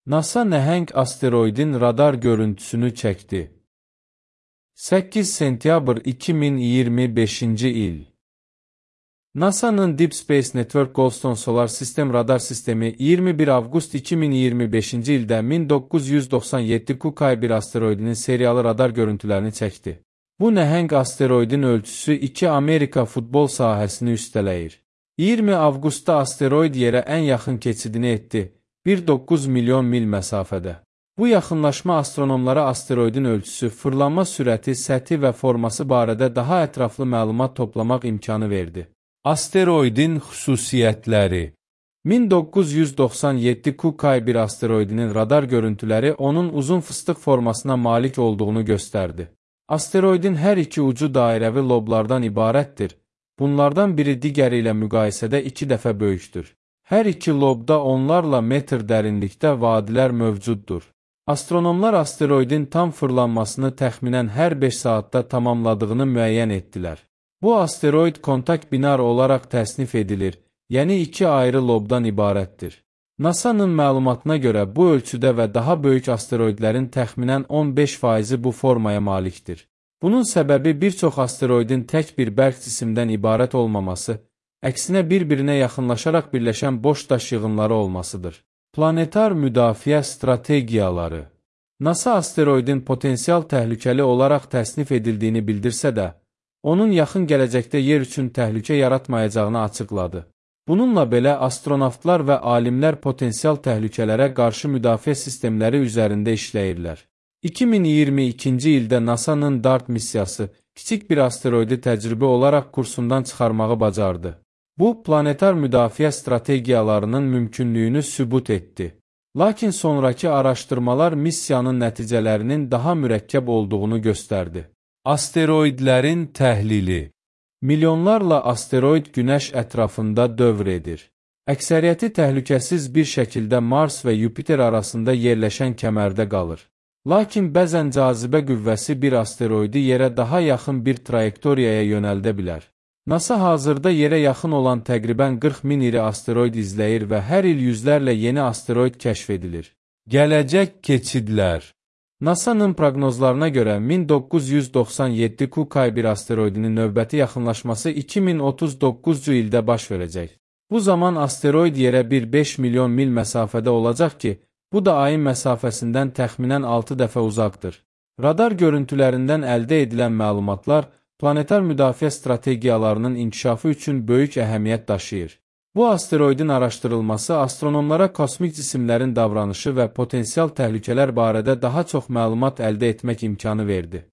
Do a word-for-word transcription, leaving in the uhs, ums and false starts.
NASA nəhəng asteroidin radar görüntüsünü çəkdi. səkkiz sentyabr iki min iyirmi beşinci il. NASA'nın Deep Space Network Goldstone Solar System radar sistemi iyirmi bir avqust iki min iyirmi beşinci ildə min doqquz yüz doxsan yeddi Q K bir asteroidinin seriyalı radar görüntülərini çəkdi. Bu nəhəng asteroidin ölçüsü iki Amerika futbol sahəsini üstələyir. iyirmi avqustda asteroid yerə ən yaxın keçidini etdi, bir nöqtə doqquz milyon mil məsafədə. Bu yaxınlaşma astronomlara asteroidin ölçüsü, fırlanma sürəti, səthi və forması barədə daha ətraflı məlumat toplamaq imkanı verdi. Asteroidin xüsusiyyətləri. min doqquz yüz doxsan yeddi Q K bir asteroidinin radar görüntüləri onun uzun fıstıq formasına malik olduğunu göstərdi. Asteroidin hər iki ucu dairəvi loblardan ibarətdir. Bunlardan biri digəri ilə müqayisədə iki dəfə böyükdür. Hər iki lobda onlarla metr dərinlikdə vadilər mövcuddur. Astronomlar asteroidin tam fırlanmasını təxminən hər beş saatda tamamladığını müəyyən etdilər. Bu asteroid kontak binar olaraq təsnif edilir, yəni iki ayrı lobdan ibarətdir. NASA'nın məlumatına görə bu ölçüdə və daha böyük asteroidlərin təxminən on beş faizi bu formaya malikdir. Bunun səbəbi bir çox asteroidin tək bir bərk cisimdən ibarət olmaması, əksinə bir-birinə yaxınlaşaraq birləşən boş daş yığınları olmasıdır. Planetar müdafiə strategiyaları. NASA asteroidin potensial təhlükəli olaraq təsnif edildiyini bildirsə də, onun yaxın gələcəkdə yer üçün təhlükə yaratmayacağını açıqladı. Bununla belə astronavtlar və alimlər potensial təhlükələrə qarşı müdafiə sistemləri üzərində işləyirlər. iki min iyirmi ikinci ildə NASA'nın DART missiyası kiçik bir asteroidi təcrübə olaraq kursundan çıxarmağı bacardı. Bu, planetar müdafiə strategiyalarının mümkünlüyünü sübut etdi. Lakin sonraki araşdırmalar missiyanın nəticələrinin daha mürəkkəb olduğunu göstərdi. Asteroidlərin təhlili. Milyonlarla asteroid Günəş ətrafında dövr edir. Əksəriyyəti təhlükəsiz bir şəkildə Mars və Yupiter arasında yerləşən kəmərdə qalır. Lakin bəzən cazibə qüvvəsi bir asteroidi yerə daha yaxın bir trayektoriyaya yönəldə bilər. NASA hazırda yerə yaxın olan təqribən qırx min iri asteroid izləyir və hər il yüzlərlə yeni asteroid kəşf edilir. Gələcək keçidlər. NASA'nın proqnozlarına görə min doqquz yüz doxsan yeddi Q K bir asteroidinin növbəti yaxınlaşması iki min otuz doqquzuncu ildə baş verəcək. Bu zaman asteroid yerə bir beş milyon mil məsafədə olacaq ki, bu da ayın məsafəsindən təxminən altı dəfə uzaqdır. Radar görüntülərindən əldə edilən məlumatlar planetar müdafiə strategiyalarının inkişafı üçün böyük əhəmiyyət daşıyır. Bu asteroidin araşdırılması astronomlara kosmik cisimlərin davranışı və potensial təhlükələr barədə daha çox məlumat əldə etmək imkanı verdi.